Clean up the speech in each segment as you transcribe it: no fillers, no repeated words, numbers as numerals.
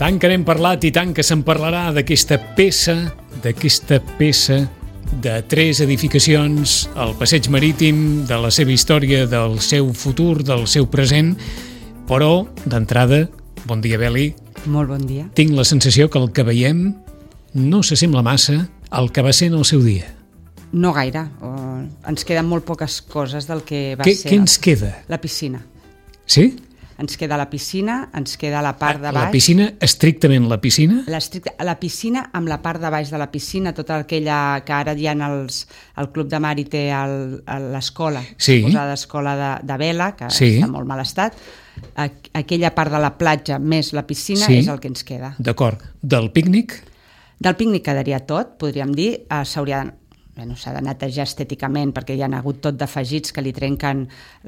Tant que n'hem parlat i tant que se'n parlarà d'aquesta peça de 3 edificacions, el passeig marítim, de la seva història, del seu futur, del seu present, però, d'entrada, bon dia, Beli. Molt bon dia. Tinc la sensació que el que veiem no s'assembla massa al que va ser en el seu dia. No gaire. Ens queden molt poques coses del que va ser. Què ens queda? La piscina. Sí? Ens queda la piscina, ens queda la part de baix. La piscina, estrictament la piscina? La piscina amb la part de baix de la piscina, tota aquella que ara hi ha el Club de Mar i té l'escola, posada escola de vela, que està molt mal estat. Aquella part de la platja més la piscina és el que ens queda. D'acord. Del pícnic? Del pícnic quedaria tot, podríem dir. S'ha de netejar estèticament perquè hi ha hagut tot d'afegits que li trenquen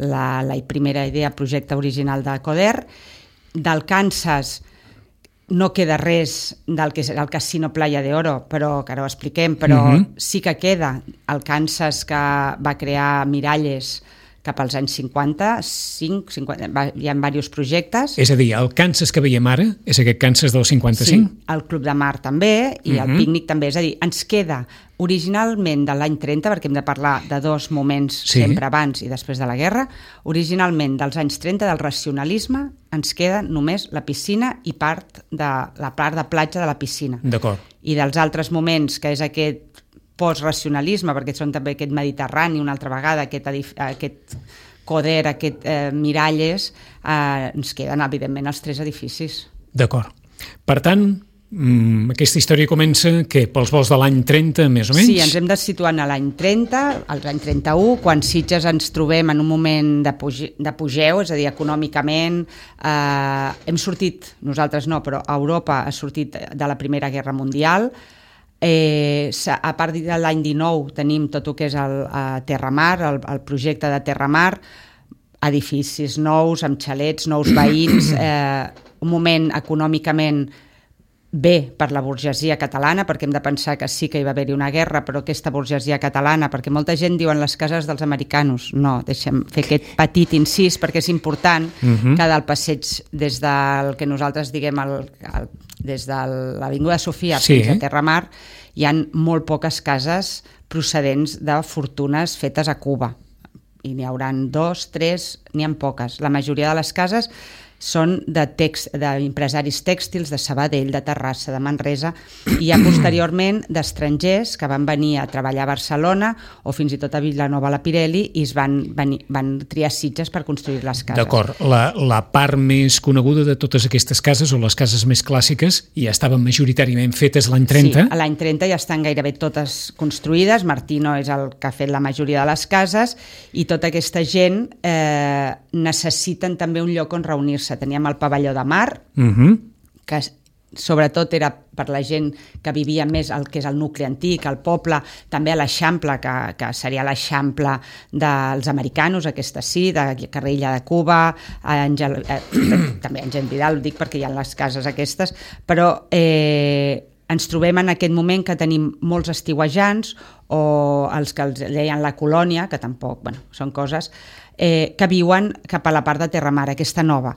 la primera idea, projecte original de Coder. Del Kansas no queda res del que serà el Casino Playa de Oro, però que ara ho expliquem, però sí que queda el Kansas que va crear Miralles cap als anys 50, hi ha diversos projectes. És a dir, el Kansas que veiem ara és aquest Kansas del 55? Sí, el Club de Mar també i el pícnic també. És a dir, ens queda originalment de l'any 30, perquè hem de parlar de 2 moments sempre abans i després de la guerra, originalment dels anys 30, del racionalisme, ens queda només la piscina i la part de platja de la piscina. D'acord. I dels altres moments, que és aquest postracionalisme, perquè són també aquest Mediterrani una altra vegada, aquest Coder, aquest Miralles, ens queden evidentment els 3 edificis. D'acord. Per tant, aquesta història comença pels vols de l'any 30 més o menys? Sí, ens hem de situar en l'any 30, l'any 31, quan Sitges ens trobem en un moment d'apogeu, és a dir, econòmicament hem sortit, nosaltres no, però Europa ha sortit de la Primera Guerra Mundial. A partir de l'any 19 tenim tot el que és el Terramar, el projecte de Terramar, edificis nous, amb xalets, nous veïns, un moment econòmicament bé per la burgesia catalana, perquè hem de pensar que sí que hi va haver-hi una guerra, però aquesta burgesia catalana, perquè molta gent diuen les cases dels americanos. No, deixem fer aquest petit incís, perquè és important que del passeig des del que nosaltres diguem des de l'Avinguda Sofia fins a Terramar hi ha molt poques cases procedents de fortunes fetes a Cuba. I n'hi hauran 2, 3, n'hi ha poques. La majoria de les cases són d'empresaris tèxtils de Sabadell, de Terrassa, de Manresa, i ja posteriorment d'estrangers que van venir a treballar a Barcelona o fins i tot a Vilanova la Pirelli i van triar Sitges per construir les cases. D'acord. La part més coneguda de totes aquestes cases, o les cases més clàssiques, ja estaven majoritàriament fetes l'any 30? Sí, l'any 30 ja estan gairebé totes construïdes. Martino és el que ha fet la majoria de les cases i tota aquesta gent necessiten també un lloc on reunir-se. Teníem el pavelló de Mar, que sobretot era per la gent que vivia més el que és el nucli antic, el poble, també a l'Eixample, que seria l'Eixample dels americanos, aquesta sí, de carrer Illa de Cuba, també Àngel Vidal, ho dic perquè hi ha les cases aquestes, però ens trobem en aquest moment que tenim molts estiuejants o els que els deien la colònia, que tampoc, són coses, que viuen cap a la part de Terramar, aquesta nova.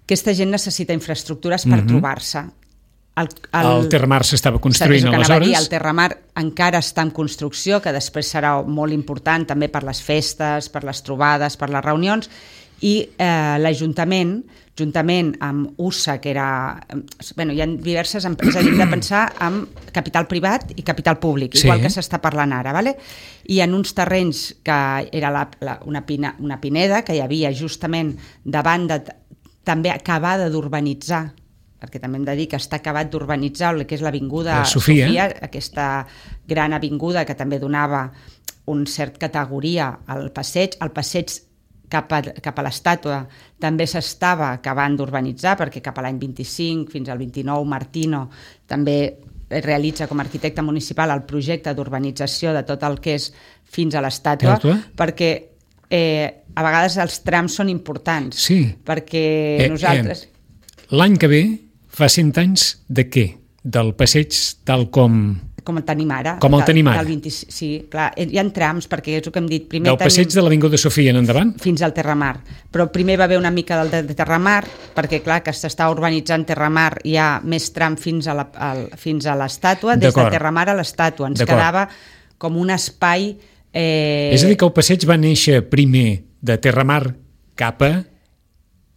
Aquesta gent necessita infraestructures per trobar-se. El Terramar s'estava construint aleshores? El Terramar encara està en construcció, que després serà molt important també per les festes, per les trobades, per les reunions, i l'Ajuntament, juntament amb USA, que era... hi ha diverses empreses, hem de pensar en capital privat i capital públic, igual que s'està parlant ara, i en uns terrenys que era una pineda que hi havia justament davant també acabada d'urbanitzar, perquè també hem de dir que està acabat d'urbanitzar el que és l'Avinguda Sofia, aquesta gran avinguda que també donava una certa categoria al passeig. El passeig cap a l'estàtua també s'estava acabant d'urbanitzar, perquè cap a l'any 25 fins al 29 Martino també realitza com a arquitecte municipal el projecte d'urbanització de tot el que és fins a l'estàtua, perquè a vegades els trams són importants, perquè nosaltres... L'any que ve fa 100 anys de què? Del passeig tal com Com el tenim ara. Com el tenim ara. Sí, clar, hi ha trams, perquè és el que hem dit. Primer del passeig de l'Avinguda Sofia en endavant? Fins al Terramar. Però primer va haver una mica del de Terramar, perquè clar, que s'està urbanitzant Terramar, hi ha més tram fins a l'estàtua, des de Terramar a l'estàtua. Ens quedava com un espai... És a dir, que el passeig va néixer primer de Terramar cap a...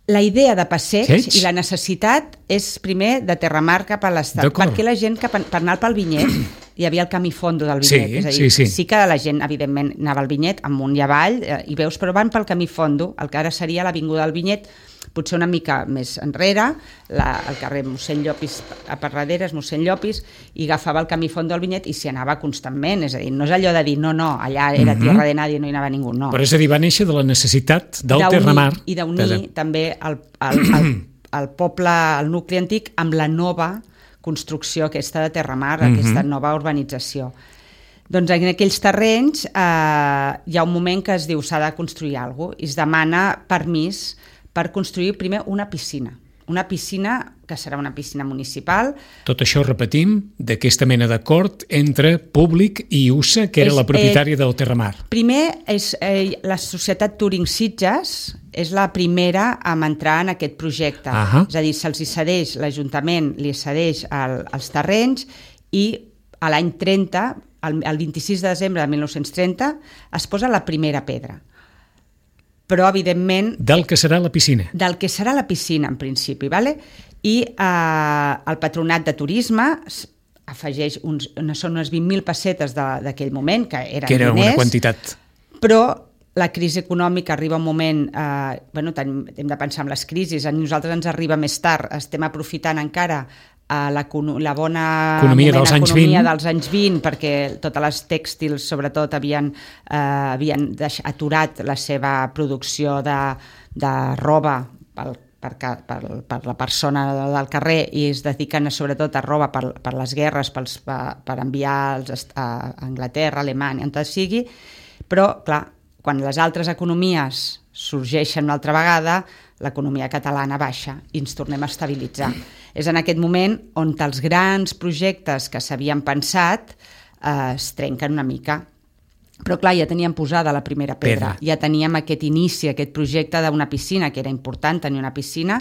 La idea de passeig i la necessitat és primer de Terramar cap a l'estàtua, perquè la gent, per anar pel Vinyet, hi havia el camí fondo del Vinyet, és a dir, sí que la gent, evidentment, anava al Vinyet, amunt i avall, i veus, però van pel camí fondo, el que ara seria l'Avinguda del Vinyet, potser una mica més enrere, el carrer Mossèn Llopis, a per darrere és Mossèn Llopis, i agafava el camí fondo del Vinyet i s'hi anava constantment, és a dir, no és allò de dir, no, allà era tierra de nadie, no hi anava ningú, no. Però és a dir, va néixer de la necessitat del Terramar. I d'unir també el poble, el nucli antic, amb la nova construcció aquesta de Terramar, aquesta nova urbanització. Doncs en aquells terrenys hi ha un moment que es diu s'ha de construir alguna cosa i es demana permís per construir primer una piscina que serà una piscina municipal. Tot això, repetim, d'aquesta mena d'acord entre públic i USA, que era la propietària del Terramar. Primer, la societat Turing Sitges és la primera a entrar en aquest projecte. És a dir, se'ls cedeix, l'Ajuntament li cedeix els terrenys i a l'any 30, el 26 de desembre de 1930, es posa la primera pedra. Però, evidentment... Del que serà la piscina. Del que serà la piscina, en principi, ¿vale? I el Patronat de Turisme afegeix són unes 20.000 pessetes d'aquell moment, que eren diners. Que era una quantitat. Però la crisi econòmica arriba un moment... hem de pensar en les crisis, a nosaltres ens arriba més tard, estem aprofitant encara la bona economia dels anys 20, perquè totes les tèxtils, sobretot, havien aturat la seva producció de roba per la persona del carrer i es dediquen sobretot a roba per les guerres, per enviar a Anglaterra, Alemanya, on sigui, però, clar, quan les altres economies sorgeixen una altra vegada, l'economia catalana baixa i ens tornem a estabilitzar. És en aquest moment on els grans projectes que s'havien pensat es trenquen una mica. Però clar, ja teníem posada la primera pedra, ja teníem aquest inici, aquest projecte d'una piscina, que era important tenir una piscina,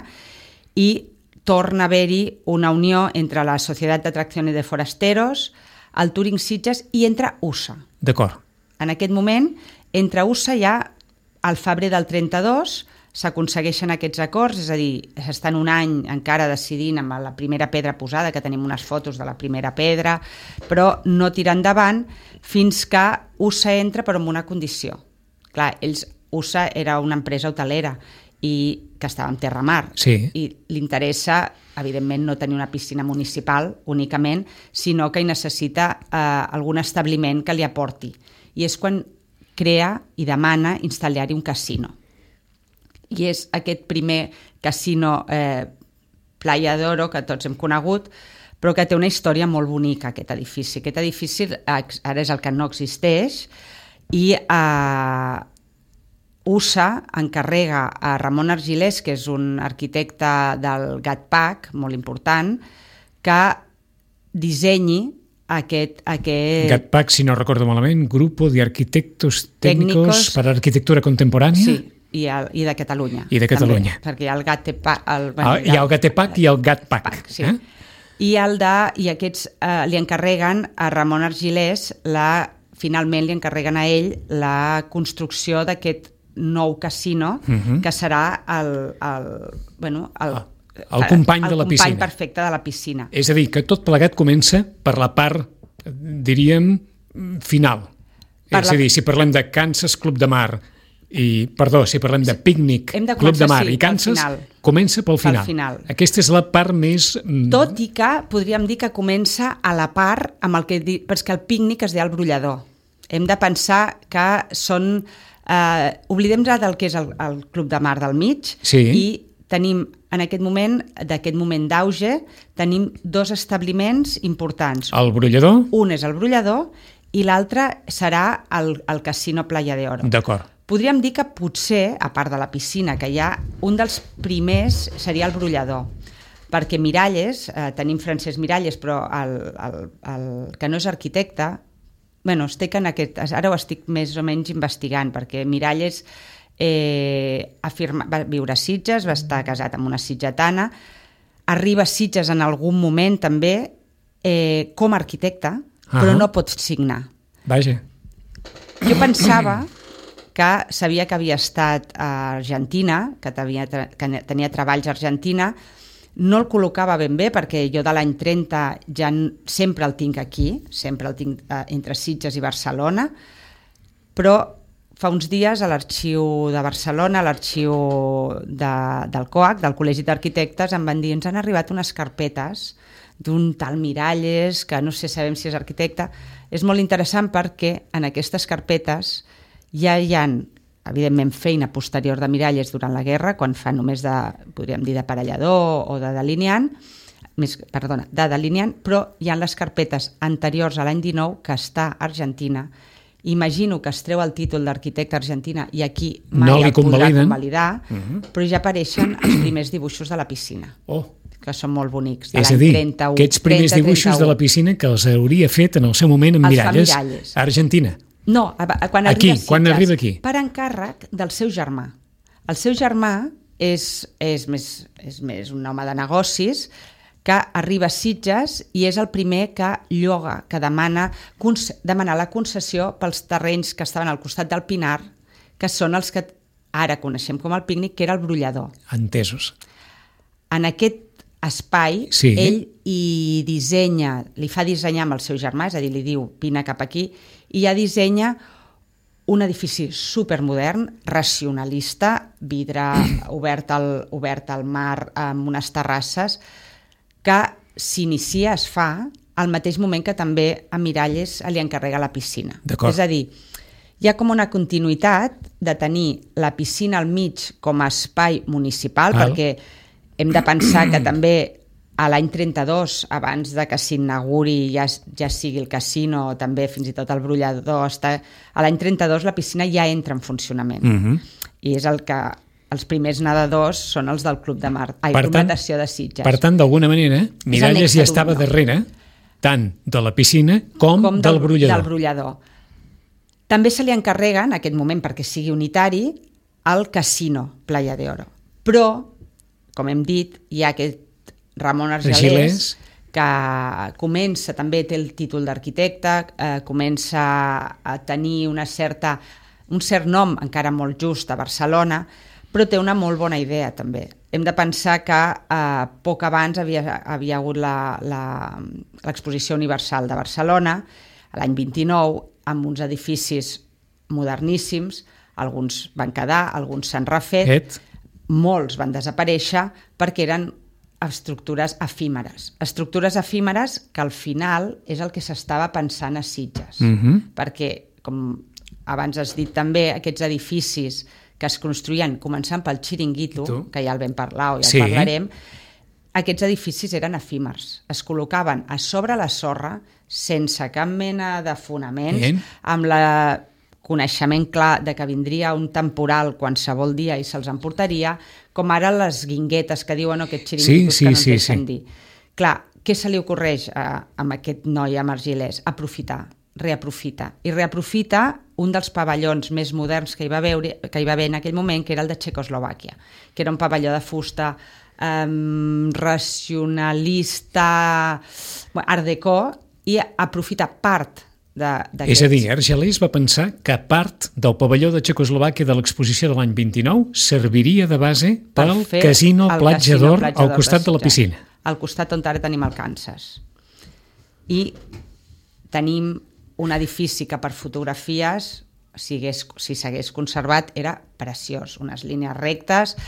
i torna a haver-hi una unió entre la Societat d'Atracciones de Forasteros, el Turing Sitges i entre USA. D'acord. En aquest moment, entre USA ja, al febrer del 32, s'aconsegueixen aquests acords, és a dir, s'estan un any encara decidint amb la primera pedra posada, que tenim unes fotos de la primera pedra, però no tira endavant fins que USA entra, però amb una condició. Clar, USA era una empresa hotelera i que estava en Terramar, i li interessa, evidentment, no tenir una piscina municipal únicament, sinó que hi necessita algun establiment que li aporti. I és quan crea i demana instal·lar-hi un casino. I és aquest primer casino Playa d'Oro que tots hem conegut, però que té una història molt bonica, aquest edifici. Aquest edifici ara és el que no existeix i USA encarrega a Ramon Argilés, que és un arquitecte del GATPAC, molt important, que dissenyi aquest... GATPAC, si no recordo malament, Grupo de Arquitectos Técnicos para Arquitectura Contemporánea. Sí. I de Catalunya. I de Catalunya. També, perquè hi ha el GATPAC... Hi ha el GATPAC i el GATPAC. Sí. I aquests li encarreguen a Ramon Argilés, finalment li encarreguen a ell la construcció d'aquest nou casino, que serà el company de la piscina. El company perfecte de la piscina. És a dir, que tot plegat comença per la part, diríem, final. És a dir, si parlem de Kansas Club de Mar, si parlem de Pícnic, Club de Mar i Kansas, comença pel final. Aquesta és la part més... Tot i que podríem dir que comença a la part amb el que... perquè el Pícnic es deia el Brollador. Hem de pensar que són... oblidem ja del que és el Club de Mar del mig i tenim, en aquest moment d'auge, tenim dos establiments importants. El Brollador? Un és el Brollador i l'altre serà el Casino Playa d'Oro. D'acord. Podríem dir que potser, a part de la piscina, que hi ha un dels primers seria el Brollador. perquè Miralles, tenim Francesc Miralles, però el que no és arquitecte, ara ho estic més o menys investigant, perquè Miralles va viure a Sitges, va estar casat amb una sitgetana, arriba a Sitges en algun moment també com a arquitecte, però no pot signar. Vaja. Jo pensava que sabia que havia estat a Argentina, que tenia treballs a Argentina, no el col·locava ben bé perquè jo de l'any 30 ja sempre el tinc aquí, sempre el tinc entre Sitges i Barcelona, però fa uns dies a l'arxiu de Barcelona, a l'arxiu del COAC, del Col·legi d'Arquitectes, em van dir, ens han arribat unes carpetes d'un tal Miralles, que no sé, sabem si és arquitecte. És molt interessant perquè en aquestes carpetes ja hi ha, evidentment, feina posterior de Miralles durant la guerra, quan fa només podríem dir, d'aparellador o de delineant, però hi ha les carpetes anteriors a l'any 19 que està a Argentina. Imagino que es treu el títol d'arquitecte argentina i aquí mai el podrà convalidar, però ja apareixen els primers dibuixos de la piscina. Que són molt bonics, de l'any 31. Aquests primers dibuixos de la piscina que els hauria fet en el seu moment en Miralles, a Argentina. No, quan arriba aquí? Per encàrrec del seu germà. El seu germà és més un home de negocis que arriba a Sitges i és el primer que lloga, que demana la concessió pels terrenys que estaven al costat del Pinar, que són els que ara coneixem com el Pícnic, que era el brollador. Entesos. En aquest espai, ell li fa dissenyar amb el seu germà, és a dir, li diu vine cap aquí, i ja dissenya un edifici supermodern, racionalista, vidre obert al mar amb unes terrasses, que s'inicia, es fa al mateix moment que també a Miralles li encarrega la piscina. És a dir, hi ha com una continuïtat de tenir la piscina al mig com a espai municipal, perquè hem de pensar que també a l'any 32, abans de que s'inauguri ja sigui el casino, també fins i tot el brollador, a l'any 32 la piscina ja entra en funcionament. I és el que els primers nedadors són els del Club de Mar, Club Natació de Sitges. Per tant, d'alguna manera, Miralles ja estava darrere tant de la piscina com del brollador. També se li encarrega, en aquest moment, perquè sigui unitari, el casino Playa de Oro. Però, com hem dit, hi ha aquest Ramon Argelers, que comença, també té el títol d'arquitecte, comença a tenir un cert nom, encara molt just, a Barcelona, però té una molt bona idea, també. Hem de pensar que poc abans havia hagut l'Exposició Universal de Barcelona, l'any 29, amb uns edificis moderníssims, alguns van quedar, alguns s'han refet, molts van desaparèixer perquè eren estructures efímeres. Estructures efímeres que al final és el que s'estava pensant a Sitges. Perquè, com abans has dit també, aquests edificis que es construïen començant pel Xiringuito, que ja el vam parlar o ja el parlarem, aquests edificis eren efímers. Es col·locaven a sobre la sorra sense cap mena de fonaments, amb el coneixement clar de que vindria un temporal qualsevol dia i se'ls emportaria, com ara les guinguetes que diuen aquests xiringuitos que no ens deixen dir. Clar, què se li ocorreix a aquest noi, a Argelers? Reaprofita. I reaprofita un dels pavellons més moderns que hi va haver en aquell moment, que era el de Txecoslovàquia, que era un pavelló de fusta racionalista, art déco, i aprofita part d'aquests. És a dir, Argelers va pensar que part del pavelló de Txecoslovàquia de l'exposició de l'any 29 serviria de base pel casino Platja d'Or al costat de la piscina. Al costat on ara tenim el Kansas. I tenim un edifici que per fotografies, si s'hagués conservat, era preciós. Unes línies rectes,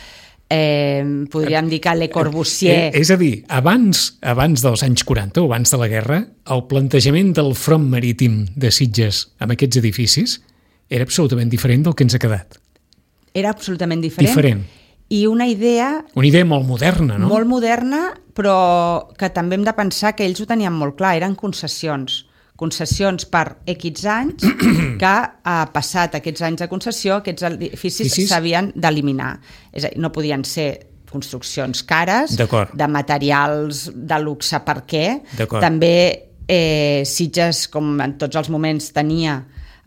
podríem dir que Le Corbusier... És a dir, abans dels anys 40 o abans de la guerra, el plantejament del front marítim de Sitges amb aquests edificis era absolutament diferent del que ens ha quedat. Era absolutament diferent. I una idea... Una idea molt moderna, no? Molt moderna, però que també hem de pensar que ells ho tenien molt clar, eren concessions per X anys, que passat aquests anys de concessió, aquests edificis s'havien d'eliminar. És a dir, no podien ser construccions cares, de materials de luxe, per què? També Sitges, com en tots els moments, tenia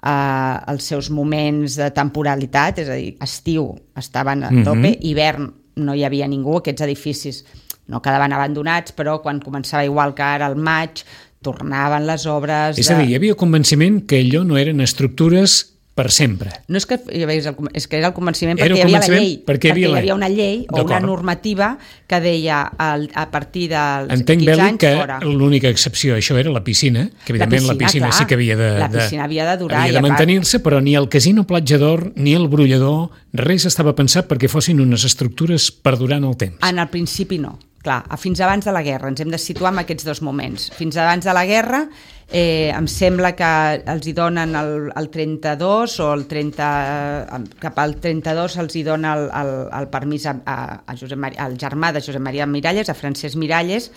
els seus moments de temporalitat, és a dir, estiu estaven a tope, hivern no hi havia ningú, aquests edificis no quedaven abandonats, però quan començava igual que ara al maig, tornaven les obres... És a dir, hi havia convenciment que allò no eren estructures per sempre. No és que és que era el convenciment perquè hi havia la llei, perquè hi havia una llei o una normativa que deia a partir dels 15 anys fora. Entenc, Beli, que l'única excepció a això era la piscina, que evidentment la piscina sí que havia de durar, havia de mantenir-se, però ni el casino Platja d'Or ni el brollador, res estava pensat perquè fossin unes estructures per durar en el temps. En el principi no. Clar, fins abans de la guerra, ens hem de situar en aquests dos moments. Fins abans de la guerra, em sembla que els hi donen el 32 o el 30, cap al 32 els hi dona el permís al germà de Josep Maria Miralles, a Francesc Miralles,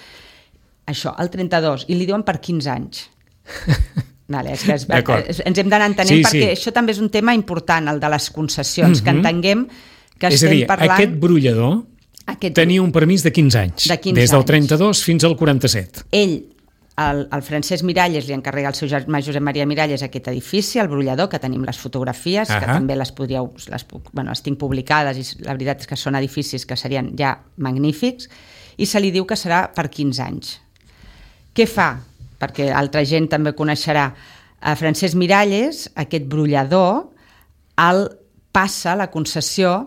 això, el 32, i li diuen per 15 anys. Vale, ens hem d'anar entenent perquè això també és un tema important, el de les concessions, que entenguem que estem parlant... És a dir, aquest brollador tenia un permís de 15 anys, des del 32 fins al 47. Ell, el Francesc Miralles, li encarrega al seu germà Josep Maria Miralles aquest edifici, el brollador, que tenim les fotografies, que també les tinc publicades, i la veritat és que són edificis que serien ja magnífics, i se li diu que serà per 15 anys. Què fa? Perquè altra gent també coneixerà. A Francesc Miralles, aquest brollador, la concessió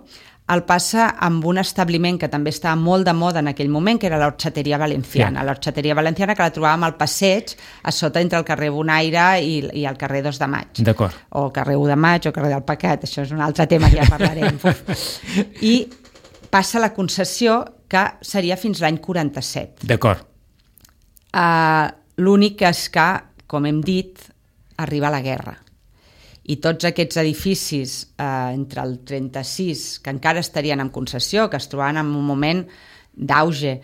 el passa amb un establiment que també estava molt de moda en aquell moment, que era l'Orxateria Valenciana. L'Orxateria Valenciana, que la trobàvem al passeig, a sota entre el carrer Bonaire i el carrer 2 de Maig. D'acord. O el carrer 1 de Maig o el carrer del Pecat, això és un altre tema que ja parlarem. I passa la concessió, que seria fins l'any 47. D'acord. L'únic és que, com hem dit, arriba la guerra. I tots aquests edificis entre el 36, que encara estarien en concessió, que es trobaven en un moment d'auge,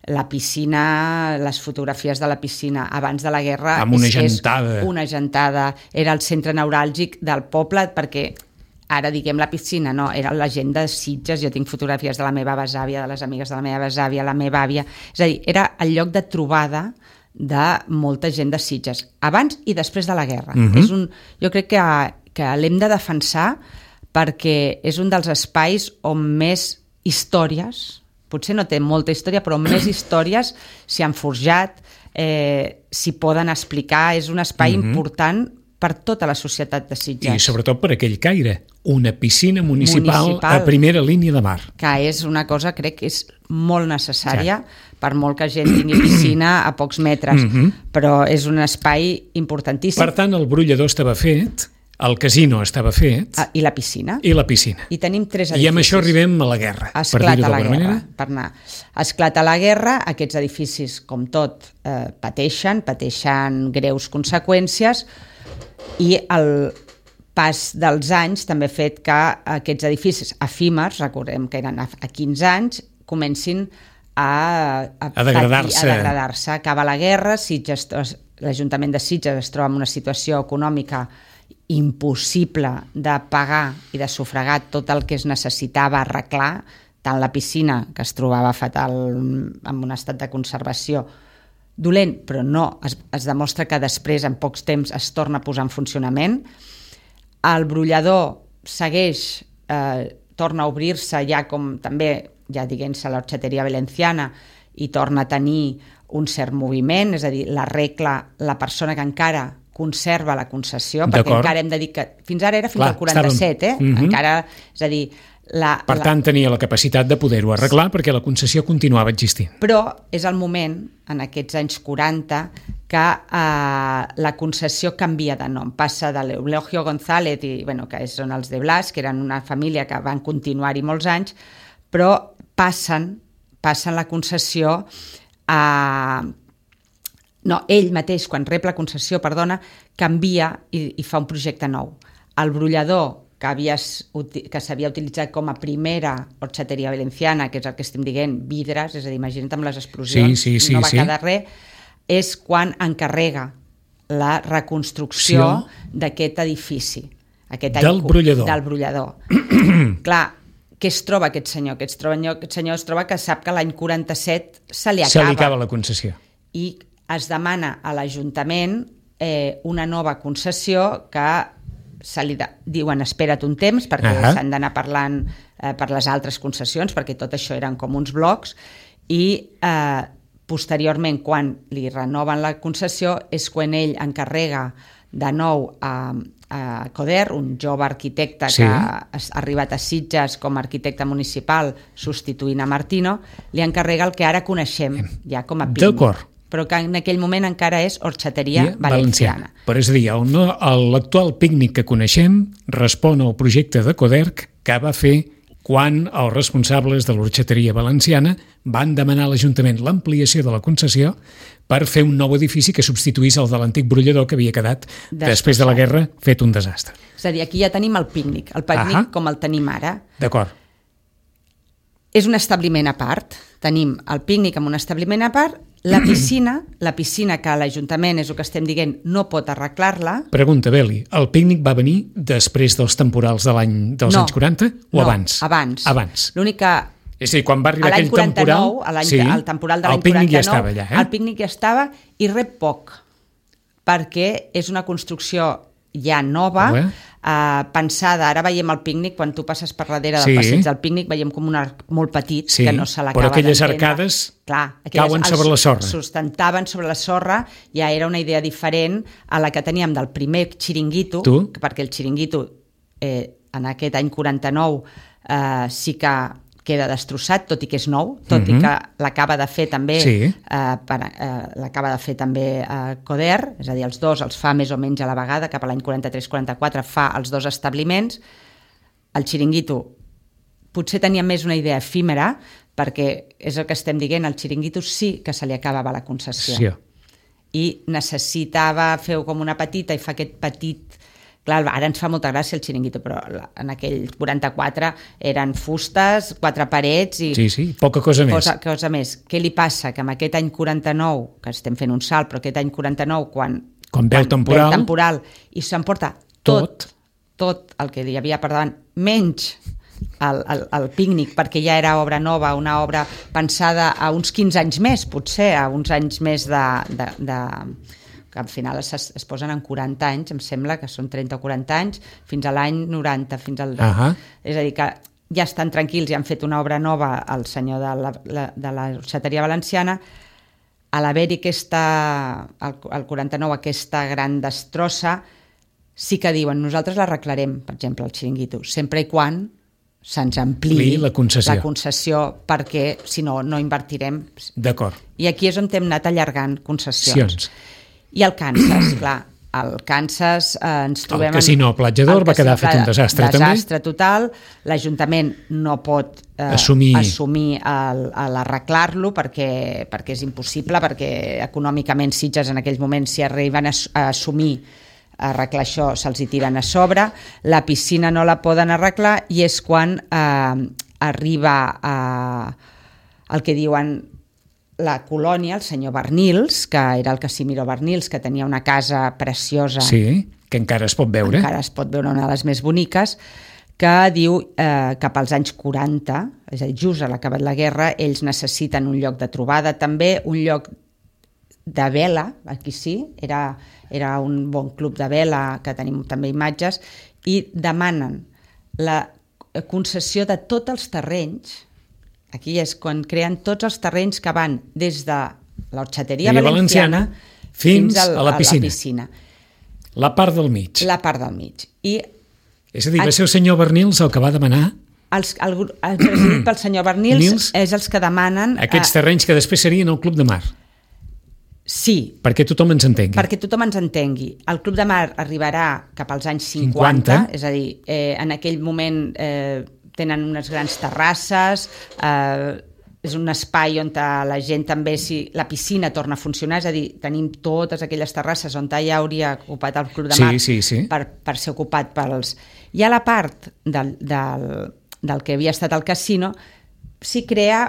la piscina, les fotografies de la piscina abans de la guerra... Amb una gentada. Una gentada. Era el centre neuràlgic del poble, perquè ara diguem la piscina, no, era la gent de Sitges, jo tinc fotografies de la meva besàvia, de les amigues de la meva besàvia, la meva àvia... És a dir, era el lloc de trobada de molta gent de Sitges, abans i després de la guerra. Jo crec que l'hem de defensar perquè és un dels espais on més històries, potser no té molta història, però més històries s'hi han forjat, s'hi poden explicar, és un espai important per tota la societat de Sitges. I sobretot per aquell caire, una piscina municipal a primera línia de mar. Que és una cosa, crec que és molt necessària, per molt que gent tingui piscina a pocs metres, però és un espai importantíssim. Per tant, el brollador estava fet, el casino estava fet... I la piscina. I la piscina. I tenim 3 edificis. I amb això arribem a la guerra, per dir-ho d'alguna manera. Esclata la guerra, aquests edificis, com tot, pateixen greus conseqüències, i el pas dels anys també ha fet que aquests edificis efímers, recordem que eren a 15 anys, comencin a degradar-se. Acaba la guerra, l'Ajuntament de Sitges es troba en una situació econòmica impossible de pagar i de sufragar tot el que es necessitava arreglar, tant la piscina, que es trobava fatal en un estat de conservació dolent, però no, es demostra que després, en pocs temps, es torna a posar en funcionament. El brollador segueix, torna a obrir-se ja com també, ja diguem-se, l'Orxateria Valenciana, i torna a tenir un cert moviment, és a dir, l'arregla la persona que encara conserva la concessió, perquè encara hem de dir que fins ara era fins al 47, encara, és a dir... Per tant, tenia la capacitat de poder-ho arreglar perquè la concessió continuava existint. Però és el moment, en aquests anys 40, que la concessió canvia de nom. Passa de l'Eulogio González, que són els de Blas, que eren una família que van continuar-hi molts anys, però passen la concessió a... No, ell mateix, quan rep la concessió, canvia i fa un projecte nou. El brollador que s'havia utilitzat com a primera Orxateria Valenciana, que és el que estem dient, vidres, és a dir, imagina't amb les explosions, no va quedar res, és quan encarrega la reconstrucció d'aquest edifici. Del brollador. Del brollador. Clar, què es troba aquest senyor? Aquest senyor es troba que sap que l'any 47 se li acaba la concessió. I es demana a l'Ajuntament una nova concessió que se li diuen espera't un temps perquè s'han d'anar parlant per les altres concessions, perquè tot això eren com uns blocs, i posteriorment, quan li renoven la concessió, és quan ell encarrega de nou a Coder, un jove arquitecte que ha arribat a Sitges com a arquitecte municipal substituint a Martino, li encarrega el que ara coneixem ja com a Pícnic, però que en aquell moment encara és Horxateria Valenciana. Però és a dir, l'actual Pícnic que coneixem respon al projecte de Coderch que va fer quan els responsables de l'Horxateria Valenciana van demanar a l'Ajuntament l'ampliació de la concessió per fer un nou edifici que substituís el de l'antic brollador que havia quedat després de la guerra fet un desastre. És a dir, aquí ja tenim el Pícnic com el tenim ara. D'acord. És un establiment a part, tenim el Pícnic amb un establiment a part, la piscina que l'Ajuntament, és el que estem dient, no pot arreglar-la. Pregunta, Beli, el Pícnic va venir després dels temporals dels anys 40 o abans? Abans. L'únic que... És a dir, quan va arribar aquell temporal... El temporal de l'any 49, el Pícnic ja estava allà, El Pícnic ja estava i rep poc, perquè és una construcció ja nova, pensada. Ara veiem el Pícnic, quan tu passes per darrere del passeig del Pícnic, veiem com un arc molt petit que no se l'acaba d'entendre. Però aquelles arcades cauen sobre la sorra. Sustentaven sobre la sorra, ja era una idea diferent a la que teníem del primer xiringuito, perquè el xiringuito en aquest any 49 sí que queda destrossat, tot i que és nou, tot i que l'acaba de fer també Coder, és a dir, els dos els fa més o menys a la vegada, cap a l'any 43-44 fa els dos establiments. El xiringuito potser tenia més una idea efímera, perquè és el que estem dient, el xiringuito sí que se li acabava la concessió. I necessitava fer com una petita, i fa aquest petit... Clar, ara ens fa molta gràcia el xiringuito, però en aquell 44 eren fustes, 4 parets i... Sí, poca cosa més. Cosa més. Què li passa? Que en aquest any 49, que estem fent un salt, però aquest any 49, quan ve el temporal i s'emporta tot el que hi havia per davant, menys el Pícnic, perquè ja era obra nova, una obra pensada a uns 15 anys més, potser, a uns anys més de que al final es posen en 40 anys, em sembla que són 30 o 40 anys, fins a l'any 90, fins al... És a dir, que ja estan tranquils i han fet una obra nova al senyor de la Horxateria Valenciana. A l'haver-hi al 49 aquesta gran destrossa, sí que diuen, nosaltres l'arreglarem, per exemple, el xiringuito, sempre i quan se'ns ampliï la concessió, perquè si no, no invertirem. D'acord. I aquí és on hem anat allargant concessions. I el Kansas, clar, el Kansas ens trobem... El casino Platja d'Or va quedar fet un desastre també. Desastre total, l'Ajuntament no pot assumir l'arreglar-lo perquè és impossible, perquè econòmicament Sitges en aquells moments, si arriben a assumir arreglar això, se'ls hi tiren a sobre, la piscina no la poden arreglar i és quan arriba el que diuen la colònia, el senyor Bernils, que era el Casimiro Bernils, que tenia una casa preciosa. Sí, que encara es pot veure. Encara es pot veure, una de les més boniques, que diu cap als anys 40, és a dir, just a l'acabat la guerra, ells necessiten un lloc de trobada, també un lloc de vela, aquí sí, era un bon club de vela, que tenim també imatges, i demanen la concessió de tots els terrenys. Aquí és quan creen tots els terrenys que van des de l'Horxateria Valenciana fins a la piscina. La part del mig. La part del mig. És a dir, va ser el senyor Bernils el que va demanar... El president pel senyor Bernils és els que demanen... Aquests terrenys que després serien el Club de Mar. Sí. Perquè tothom ens entengui. Perquè tothom ens entengui. El Club de Mar arribarà cap als anys 50. És a dir, en aquell moment... tenen unes grans terrasses, és un espai on la gent també, si la piscina torna a funcionar, és a dir, tenim totes aquelles terrasses on ja hauria ocupat el Club de Mar per ser ocupat pels... I a la part del que havia estat el casino s'hi crea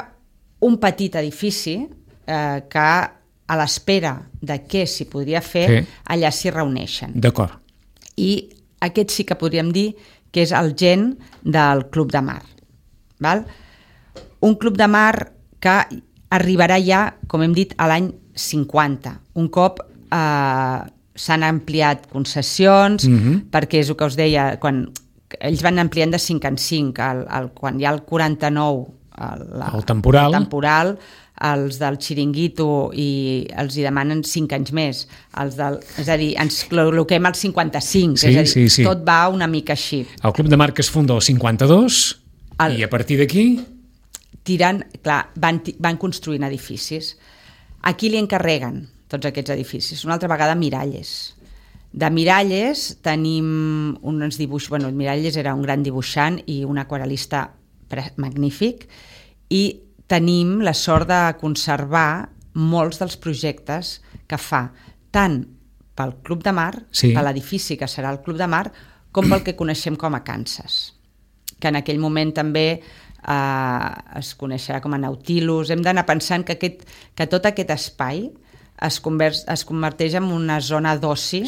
un petit edifici que a l'espera de què s'hi podria fer, allà s'hi reuneixen. D'acord. I aquest sí que podríem dir que és el gen del Club de Mar. Val? Un club de mar que arribarà ja, com hem dit, a l'any 50. Un cop s'han ampliat concessions, perquè és el que us deia, quan ells van ampliant de 5 en 5, quan hi ha el 49, el temporal, els del xiringuito i els hi demanen 5 anys més, és a dir, ens col·loquem al 55, és a dir, tot va una mica així. El Club de Mar que es funda el 52 i a partir d'aquí van construint edificis. A qui li encarreguen tots aquests edificis? Una altra vegada Miralles. De Miralles tenim uns dibuixos... Bueno, Miralles era un gran dibuixant i un aquarel·lista magnífic, i tenim la sort de conservar molts dels projectes que fa, tant pel Club de Mar, per l'edifici que serà el Club de Mar, com pel que coneixem com a Kansas, que en aquell moment també es coneixerà com a Nautilus. Hem d'anar pensant que tot aquest espai es converteix en una zona d'oci,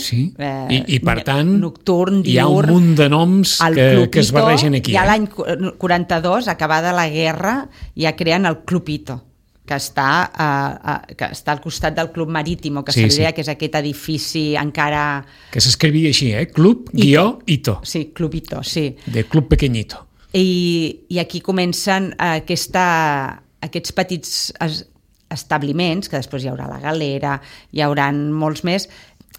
i per tant nocturn, diürn. Hi ha un munt de noms que es barregen aquí. Ja l'any 42, acabada la guerra, ja creen el Club Ito, que està al costat del Club Marítimo, que seria que és aquest edifici encara... Que s'escrivia així, Club-Ito. Sí, Club Ito, sí. De Club Pequeñito. I aquí comencen aquests petits establiments, que després hi haurà la galera, hi haurà molts més.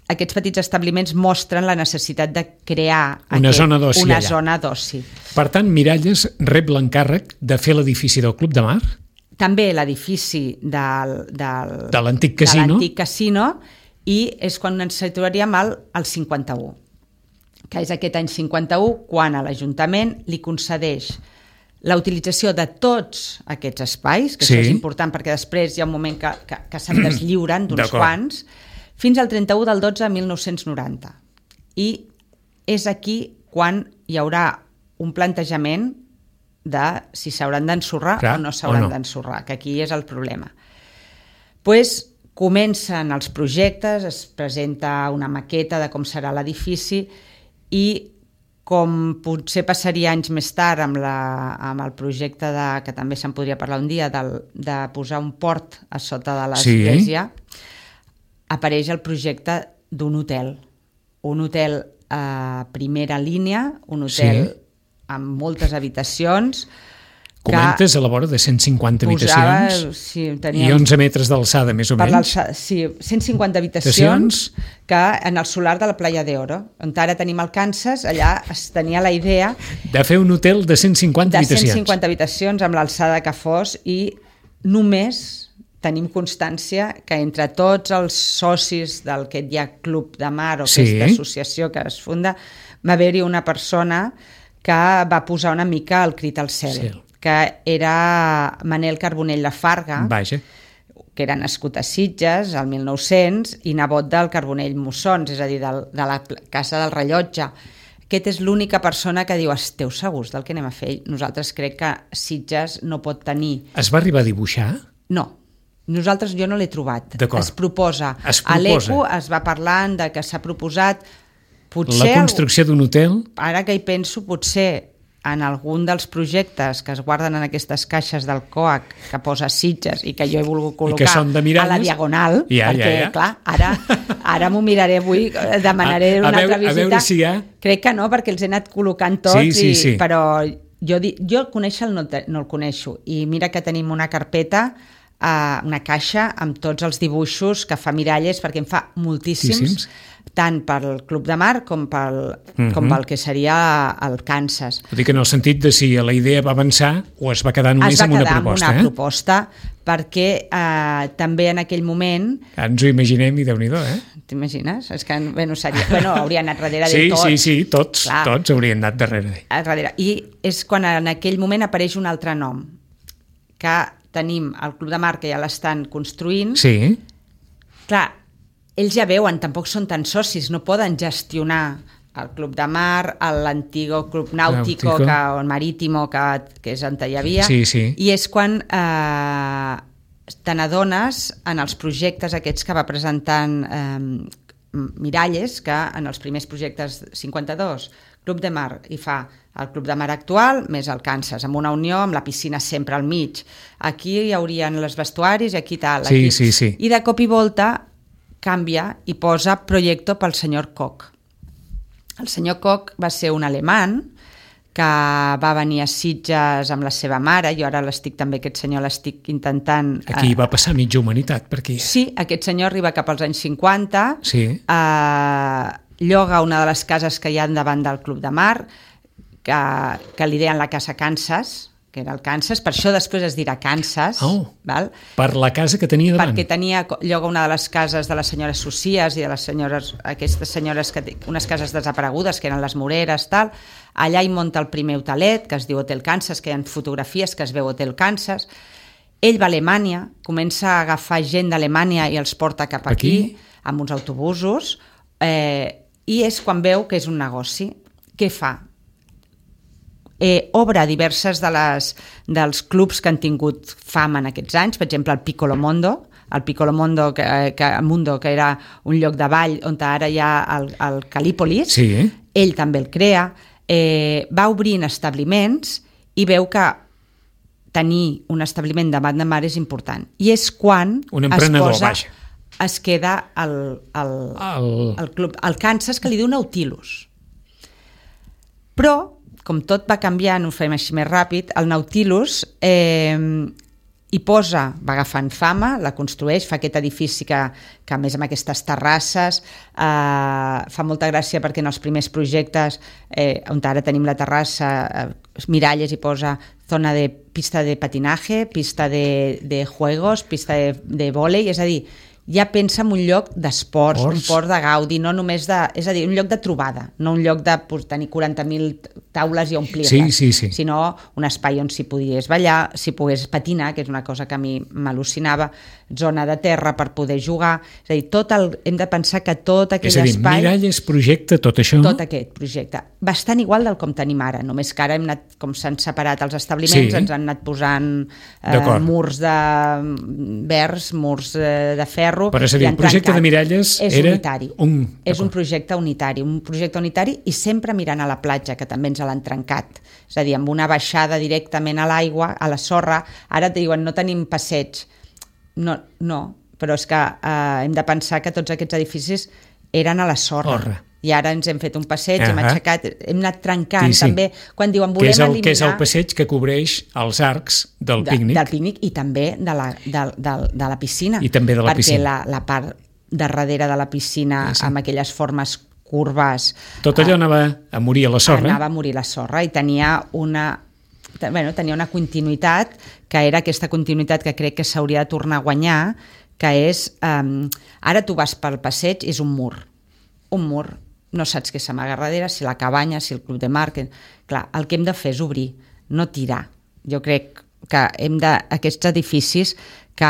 Aquests petits establiments mostren la necessitat de crear una zona d'oci. Per tant, Miralles rep l'encàrrec de fer l'edifici del Club de Mar? També l'edifici de l'antic casino, i és quan ens situaríem al 51, que és aquest any 51 quan a l'Ajuntament li concedeix la utilització de tots aquests espais, que això és important perquè després hi ha un moment que se'n deslliuren d'uns quants, fins al 31 del 12 de 1990. I és aquí quan hi haurà un plantejament de si s'hauran d'ensorrar o no s'hauran d'ensorrar, que aquí és el problema. Comencen els projectes, es presenta una maqueta de com serà l'edifici i com potser passaria anys més tard amb el projecte que també se'n podria parlar un dia, de posar un port a sota de l'església, apareix el projecte d'un hotel. Un hotel a primera línia, un hotel amb moltes habitacions. Comentes a la vora de 150 habitacions i 11 metres d'alçada, més o menys. Sí, 150 habitacions que en el solar de la Playa de Oro, on ara tenim el Kansas, allà es tenia la idea de fer un hotel de 150 habitacions. De 150 habitacions amb l'alçada que fos, i només tenim constància que entre tots els socis del que hi ha Club de Mar o aquesta associació que es funda, va haver-hi una persona que va posar una mica el crit al cel. Que era Manel Carbonell de Farga, que era nascut a Sitges al 1900 i nebot del Carbonell Mussons, és a dir, de la Casa del Rellotge. Aquest és l'única persona que diu: esteu segurs del que anem a fer? Nosaltres crec que Sitges no pot tenir... Es va arribar a dibuixar? No. Jo no l'he trobat. Es proposa. A l'ECO es va parlant de que s'ha proposat... La construcció d'un hotel? Ara que hi penso, potser en algun dels projectes que es guarden en aquestes caixes del COAC que posa Sitges i que jo he volgut col·locar a la Diagonal, perquè clar, ara m'ho miraré avui, demanaré una altra visita. Crec que no, perquè els he anat col·locant tots, però jo conèixer no el coneixo, i mira que tenim una carpeta, una caixa amb tots els dibuixos que fa Miralles, perquè en fa moltíssims, tant pel Club de Mar com pel que seria el Kansas. Vull dir que en el sentit de si la idea va avançar o es va quedar només amb una proposta. Es va quedar amb una proposta, perquè també en aquell moment... Ens ho imaginem i Déu-n'hi-do, T'imagines? És que hauria anat darrere de tot. Sí, tots haurien anat darrere. I és quan en aquell moment apareix un altre nom, que tenim el Club de Mar, que ja l'estan construint. Sí. Clar, ells ja veuen, tampoc són tan socis, no poden gestionar el Club de Mar, l'antigo Club Náutico, o el Marítimo, que és on hi havia, i és quan te n'adones en els projectes aquests que va presentant Miralles, que en els primers projectes 52, Club de Mar, i fa el Club de Mar actual més el Kansas, amb una unió, amb la piscina sempre al mig. Aquí hi haurien els vestuaris i aquí tal. Aquí. Sí. I de cop i volta canvia i posa Proyecto pel senyor Koch. El senyor Koch va ser un alemany que va venir a Sitges amb la seva mare, jo ara aquest senyor l'estic intentant... Aquí va passar mitja humanitat, per aquí. Sí, aquest senyor arriba cap als anys 50, sí. Lloga una de les cases que hi ha davant del Club de Mar, que li deien la Casa Kansas, que era el Kansas, per això després es dirà Kansas. Val? Per la casa que tenia davant. Perquè lloga una de les cases de les senyores Socias i de les senyores, aquestes senyores, unes cases desaparegudes, que eren les Moreres, tal. Allà hi munta el primer hotelet, que es diu Hotel Kansas, que hi ha fotografies que es veu Hotel Kansas. Ell va a Alemanya, comença a agafar gent d'Alemanya i els porta cap aquí, amb uns autobusos, i és quan veu que és un negoci. Què fa? Obre diverses dels clubs que han tingut fama en aquests anys, per exemple el Piccolo Mondo, que era un lloc de ball on ara hi ha el Calípolis, sí. Ell també el crea, va obrint establiments i veu que tenir un establiment davant de mar és important. I és quan es queda el club, el Kansas, que li diu Nautilus. Però com tot va canviant, ho fem així més ràpid, el Nautilus hi posa, va agafant fama, la construeix, fa aquest edifici que a més amb aquestes terrasses, fa molta gràcia perquè en els primers projectes, on ara tenim la terrassa, Miralles hi posa zona de pista de patinaje, pista de juegos, pista de vòlei, és a dir, ja pensa en un lloc d'esports, un port de gaudi, no només és a dir, un lloc de trobada, no un lloc de tenir 40.000 taules i omplir-les, sinó un espai on s'hi podies ballar, s'hi pogués patinar, que és una cosa que a mi m'al·lucinava, zona de terra per poder jugar, és a dir, hem de pensar que tot aquell espai... És a dir, Miralles projecta tot això? Tot aquest projecte. Bastant igual del com tenim ara, només que ara hem anat, com s'han separat els establiments, ens han anat posant murs de verds, murs de ferro... Però és a dir, el projecte de Miralles era és un projecte unitari i sempre mirant a la platja, que també ens l'han trencat. És a dir, amb una baixada directament a l'aigua, a la sorra, ara et diuen no tenim passeig. No, però és que hem de pensar que tots aquests edificis eren a la sorra. I ara ens hem fet un passeig, hem aixecat, hem anat trencant també, quan diuen volem eliminar... Que és el passeig que cobreix els arcs del pícnic. Del pícnic i també de la piscina. I també de la piscina. Perquè la part de darrere de la piscina, amb aquelles formes curves... Tot allò anava a morir a la sorra. Anava a morir a la sorra i tenia una continuïtat, que era aquesta continuïtat que crec que s'hauria de tornar a guanyar, que és... Ara tu vas pel passeig, és un mur, no saps què s'amaga darrere, si la cabanya, si el club de mar... Clar, el que hem de fer és obrir, no tirar. Jo crec que aquests edificis que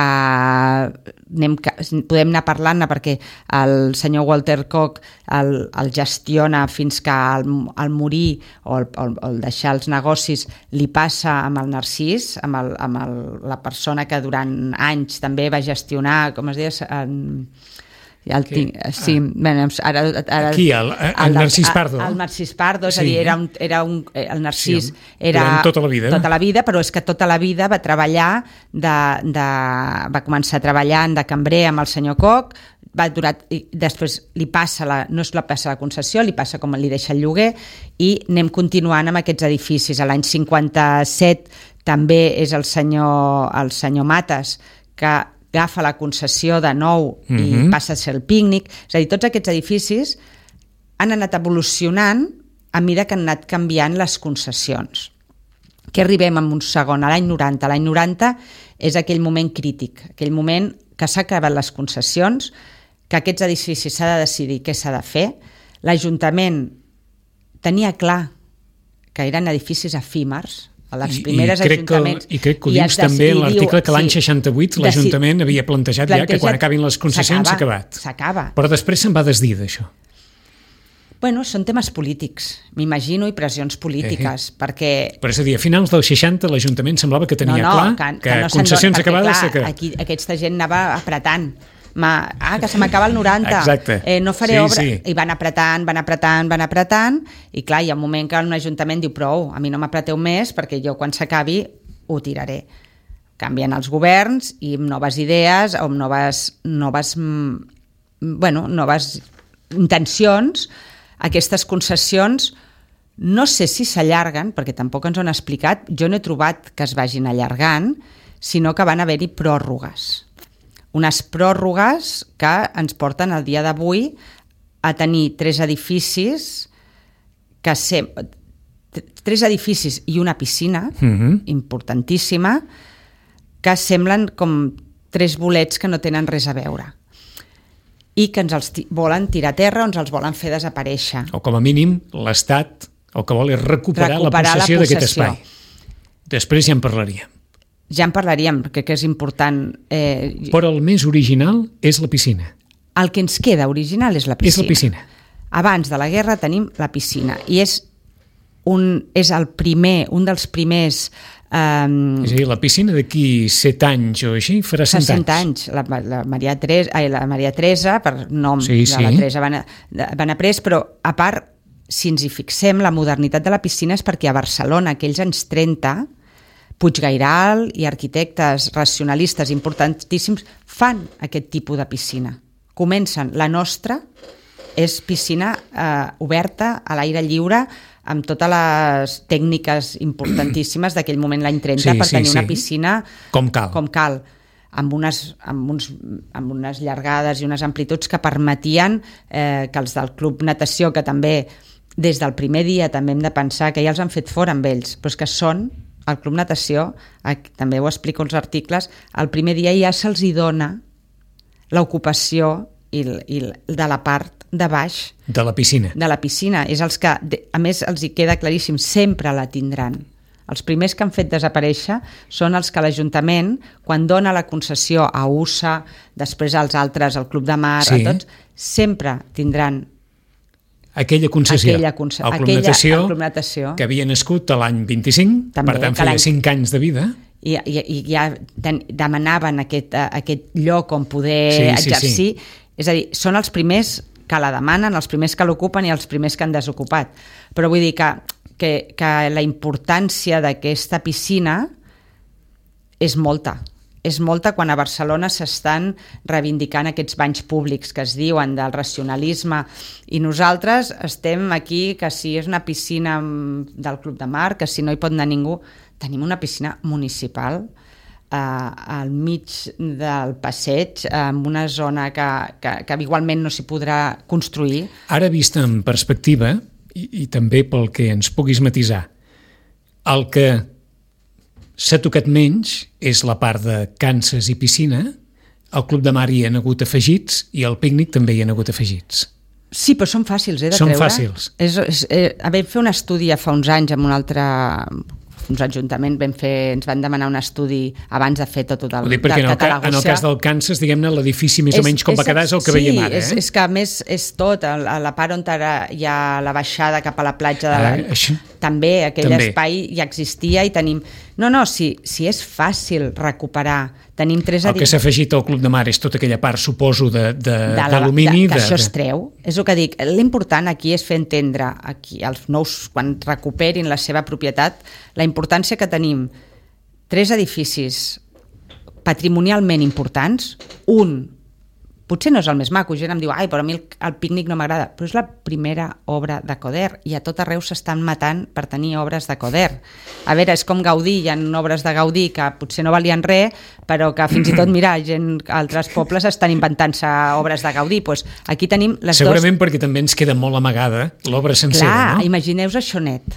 podem anar parlant-ne perquè el senyor Walter Koch el gestiona fins que al morir o el deixar els negocis li passa amb el Narcís, amb la persona que durant anys també va gestionar, com es deia... Aquí, el Narcís Pardo. El Narcís Pardo, és a dir, el Narcís era tota la vida. Tota la vida, però és que tota la vida va treballar, va començar treballant de cambrer amb el senyor Koch, després no es la passa la concessió, li passa com li deixa el lloguer i anem continuant amb aquests edificis. A l'any 57 també és el senyor Mates que agafa la concessió de nou i passa a ser el pícnic. És a dir, tots aquests edificis han anat evolucionant a mesura que han anat canviant les concessions. Que arribem en un segon, a l'any 90. L'any 90 és aquell moment crític, aquell moment que s'ha acabat les concessions, que aquests edificis s'ha de decidir què s'ha de fer. L'Ajuntament tenia clar que eren edificis efímers, a les primeres ajuntaments... I crec que ho dius també en l'article que l'any 68 l'Ajuntament havia plantejat ja que quan acabin les concessions s'ha acabat. S'acaba. Però després se'n va desdir d'això. Bueno, són temes polítics, m'imagino, i pressions polítiques, perquè... Però és a dir, a finals dels 60 l'Ajuntament semblava que tenia clar que concessions acabades s'ha acabat. Aquesta gent anava apretant. que se m'acaba el 90. Exacte. No faré obra. Sí. I van apretant, i clar, hi ha un moment que un ajuntament diu prou, a mi no m'apreteu més perquè jo quan s'acabi ho tiraré. Canvien els governs i amb noves idees o amb noves intencions, aquestes concessions no sé si s'allarguen, perquè tampoc ens ho han explicat, jo no he trobat que es vagin allargant, sinó que van haver-hi pròrrogues. Unes pròrrogues que ens porten al dia d'avui a tenir 3 edificis i una piscina importantíssima que semblen com 3 bolets que no tenen res a veure i que ens els volen tirar a terra o ens els volen fer desaparèixer. O com a mínim l'Estat el que vol és recuperar la possessió d'aquest espai. Després ja en parlaríem. Ja en parlaríem, crec que és important. Però el més original és la piscina. El que ens queda original és la piscina. És la piscina. Abans de la guerra tenim la piscina i és un dels primers... És a dir, la piscina d'aquí 7 anys o així farà 100 anys. La Maria Teresa, per nom de la Teresa van après, però a part, si ens hi fixem, la modernitat de la piscina és perquè a Barcelona, aquells anys 30, Puiggairal i arquitectes racionalistes importantíssims fan aquest tipus de piscina. Comencen. La nostra és piscina oberta, a l'aire lliure, amb totes les tècniques importantíssimes d'aquell moment, l'any 30, per tenir una piscina com cal. Amb unes llargades i unes amplituds que permetien que els del Club Natació, que també des del primer dia també hem de pensar que ja els han fet fora amb ells, però és que són el Club Natació, també ho explico als articles, el primer dia ja se'ls hi dona l'ocupació i de la part de baix de la piscina. És els que, a més, els hi queda claríssim, sempre la tindran. Els primers que han fet desaparèixer són els que l'Ajuntament, quan dona la concessió a USA, després als altres, al Club de Mar, a tots, sempre tindran aquella concessió. El Club Natació, que havia nascut l'any 25, també, per tant feia 5 anys de vida. I ja demanaven aquest lloc on poder exercir. És a dir, són els primers que la demanen, els primers que l'ocupen i els primers que han desocupat. Però vull dir que la importància d'aquesta piscina és molta. És molta quan a Barcelona s'estan reivindicant aquests banys públics que es diuen del racionalisme, i nosaltres estem aquí que si és una piscina del Club de Mar, que si no hi pot anar ningú, tenim una piscina municipal al mig del passeig, en una zona que igualment no s'hi podrà construir. Ara vist en perspectiva, i també pel que ens puguis matisar, el que s'ha tocat menys és la part de Kansas i piscina. Al Club de Mar hi han hagut afegits i al pícnic també hi han hagut afegits. Sí, però són fàcils de treure. Són fàcils. Vam fer un estudi fa uns anys amb uns ajuntaments, ens van demanar un estudi abans de fer tot el catalagossià. En el cas del Kansas, diguem-ne, l'edifici més o menys com va quedar és el que veiem ara. Sí, és que a més és tot, a la part on hi ha la baixada cap a la platja també aquell espai ja existia i tenim... Si és fàcil recuperar, tenim 3 edificis... El que s'ha afegit al Club de Mar és tota aquella part, suposo, d'alumini... Que això es treu. És el que dic, l'important aquí és fer entendre aquí els nous, quan recuperin la seva propietat, la importància que tenim 3 edificis patrimonialment importants, potser no és el més maco, gent em diu, però a mi el pícnic no m'agrada, però és la primera obra de Coder i a tot arreu s'estan matant per tenir obres de Coder. A veure, és com Gaudí, hi ha obres de Gaudí que potser no valien res, però que fins i tot, mira, altres pobles estan inventant-se obres de Gaudí. Doncs aquí tenim les Segurament perquè també ens queda molt amagada l'obra sencera, no? Clar, imagineu-vos això net.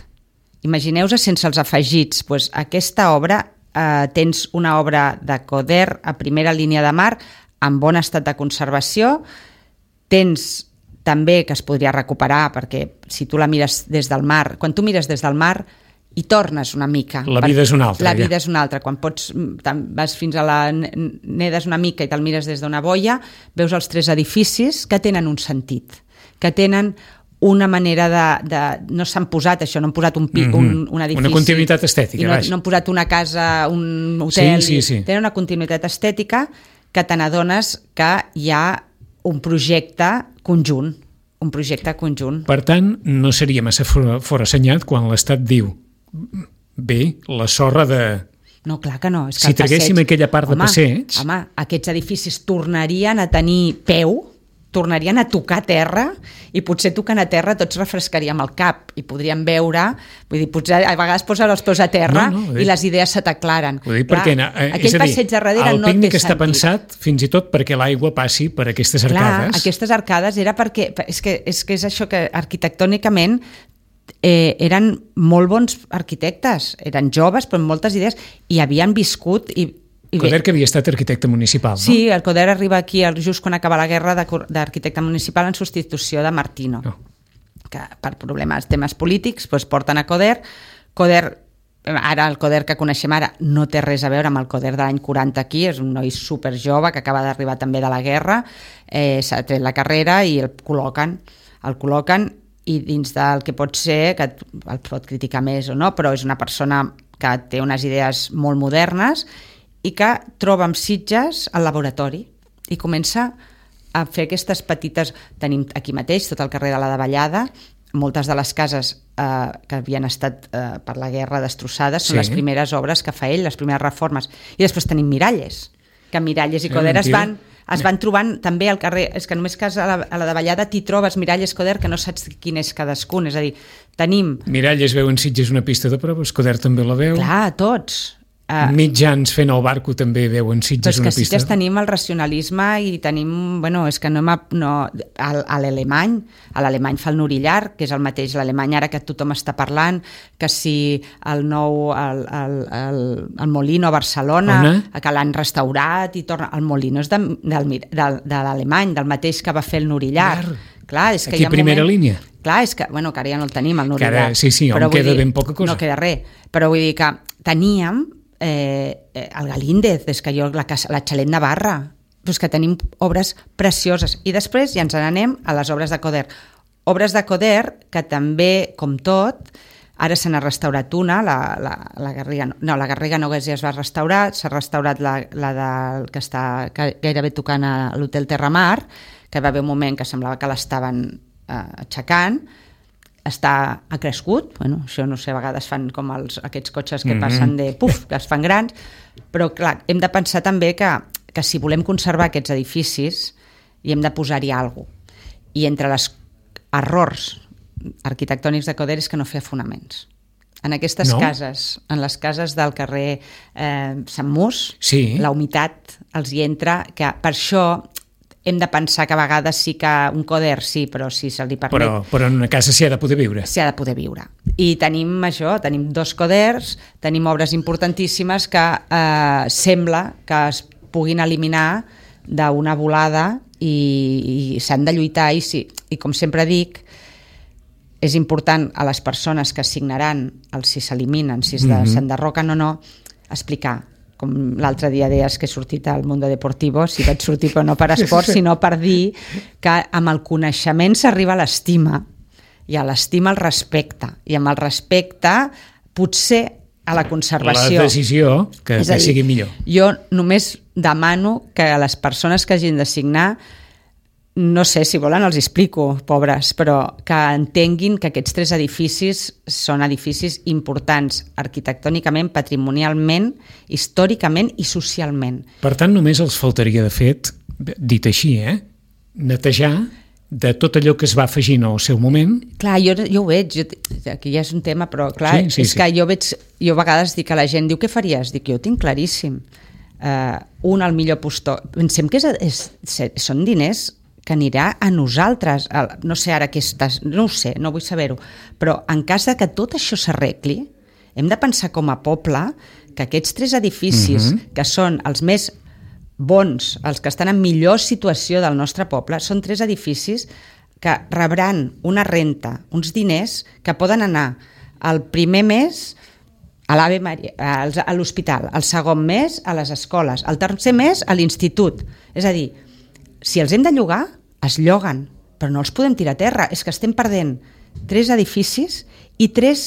Imagineu-vos sense els afegits. Doncs aquesta obra, tens una obra de Coder a primera línia de mar, en bon estat de conservació, tens també que es podria recuperar, perquè si tu la mires des del mar, quan tu mires des del mar hi tornes una mica. La vida és una altra. La vida és una altra. Quan vas fins a nedes una mica i te'l mires des d'una boia, veus els 3 edificis que tenen un sentit, que tenen una manera de... No s'han posat això, no han posat un edifici... Una continuïtat estètica, no han posat una casa, un hotel... Sí. Tenen una continuïtat estètica que te n'adones que hi ha un projecte conjunt. Per tant, no seria massa forassenyat quan l'Estat diu bé, la sorra de... No, clar que no. És que si traguéssim aquella part de passeig... Home, aquests edificis tornarien a tenir peu, tornarien a tocar terra, i potser tocant a terra tots refrescaríem el cap i podríem veure, vull dir, potser a vegades posar els peus a terra i les idees se t'aclaren. Ho dic perquè aquell passeig de darrere no té sentit. El pícnic està pensat fins i tot perquè l'aigua passi per aquestes arcades. Clar, aquestes arcades era perquè... És que és això que arquitectònicament eren molt bons arquitectes, eren joves però amb moltes idees i havien viscut Coder, que havia estat arquitecte municipal, no? Sí, el Coder arriba aquí just quan acaba la guerra d'arquitecte municipal en substitució de Martino, que per temes polítics porten a Coder. Ara el Coder que coneixem ara no té res a veure amb el Coder de l'any 40 aquí, és un noi super jove que acaba d'arribar també de la guerra, s'ha tret la carrera i el col·loquen i dins del que pot ser, que el pot criticar més o no, però és una persona que té unes idees molt modernes i que troba amb Sitges al laboratori i comença a fer aquestes petites... Tenim aquí mateix tot el carrer de la Davallada, moltes de les cases que havien estat per la guerra destrossades són les primeres obres que fa ell, les primeres reformes. I després tenim Miralles, que Miralles i Coder es van trobant també al carrer, és que només que a la Davallada t'hi trobes Miralles, Coder, que no saps quin és cadascun, és a dir, tenim... Miralles veu en Sitges una pista de proves, Coder també la veu. Clar, tots. Mitjans fent el barco també veuen Sitges una pista. Però és que Sitges tenim el racionalisme i tenim, és que a l'alemany fa el Norillar, que és el mateix l'alemany ara que tothom està parlant, que si el Molino a Barcelona, que l'han restaurat i torna... El Molino és de l'alemany, del mateix que va fer el Norillar. Clar, és que aquí primera línia. Clar, és que ara ja no el tenim, el Norillar. Sí, on queda ben poca cosa. No queda res, però vull dir que teníem el Galíndez, és que la Xalet Navarra, doncs que tenim obres precioses. I després ja ens n'anem a les obres de Coder. Obres de Coder que també, com tot, ara se n'ha restaurat una, la Garriga no ja es va restaurar, s'ha restaurat la del que està gairebé tocant a l'Hotel Terramar, que va haver un moment que semblava que l'estaven aixecant, ha crescut, això no sé, a vegades fan com aquests cotxes que passen que es fan grans, però clar, hem de pensar també que si volem conservar aquests edificis hi hem de posar-hi alguna cosa. I entre els errors arquitectònics de Coder és que no feia fonaments. En aquestes cases, en les cases del carrer Sant Mus, la humitat els hi entra, que per això hem de pensar que a vegades sí que un Coder sí, però si se li permet... Però en una casa s'hi ha de poder viure. S'hi ha de poder viure. I tenim això, tenim 2 Coders, tenim obres importantíssimes que sembla que es puguin eliminar d'una volada i s'han de lluitar i com sempre dic, és important a les persones que signaran si s'eliminen, si s'enderroquen o no, explicar, com l'altre dia deies que he sortit al Mundo Deportivo, si vaig sortir però no per esport, sinó per dir que amb el coneixement s'arriba a l'estima, i a l'estima el respecte, i amb el respecte potser a la conservació. La decisió que sigui millor. Jo només demano que a les persones que hagin de signar, no sé, si volen els explico, pobres, però que entenguin que aquests 3 edificis són edificis importants arquitectònicament, patrimonialment, històricament i socialment. Per tant, només els faltaria, de fet, dit així, netejar de tot allò que es va afegint al seu moment. Clar, jo ho veig, aquí ja és un tema, però clar, és que jo a vegades dic a la gent, diu, què faries? Dic, jo ho tinc claríssim. Al millor postor. Pensem que són diners que anirà a nosaltres, no sé ara què estàs, no ho sé, no vull saber-ho, però en cas que tot això s'arregli, hem de pensar com a poble que aquests 3 edificis, que són els més bons, els que estan en millor situació del nostre poble, són 3 edificis que rebran una renta, uns diners que poden anar el primer mes a l'Ave Maria, a l'hospital, el segon mes a les escoles, el tercer mes a l'institut. És a dir, si els hem de llogar, es lloguen, però no els podem tirar a terra. És que estem perdent 3 edificis i 3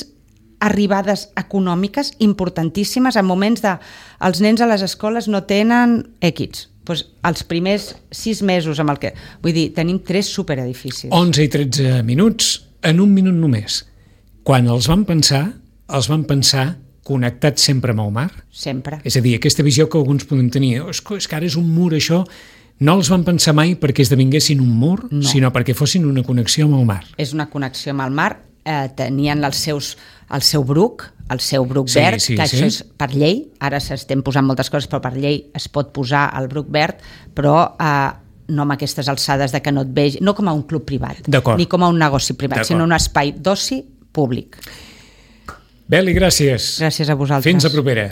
arribades econòmiques importantíssimes en moments de els nens a les escoles no tenen X, doncs els primers 6 mesos amb el que... Vull dir, tenim 3 superedificis. 11 i 13 minuts en un minut només. Quan els van pensar connectats sempre amb el mar? Sempre. És a dir, aquesta visió que alguns podem tenir, és que ara és un mur això, no els van pensar mai perquè esdevinguessin un mur, sinó perquè fossin una connexió amb el mar. És una connexió amb el mar, tenien el seu bruc verd, que això és per llei, ara s'estem posant moltes coses, però per llei es pot posar el bruc verd, però no amb aquestes alçades de que no et vegi, no com a un club privat, ni com a un negoci privat, sinó un espai d'oci públic. Beli, gràcies. Gràcies a vosaltres. Fins a propera.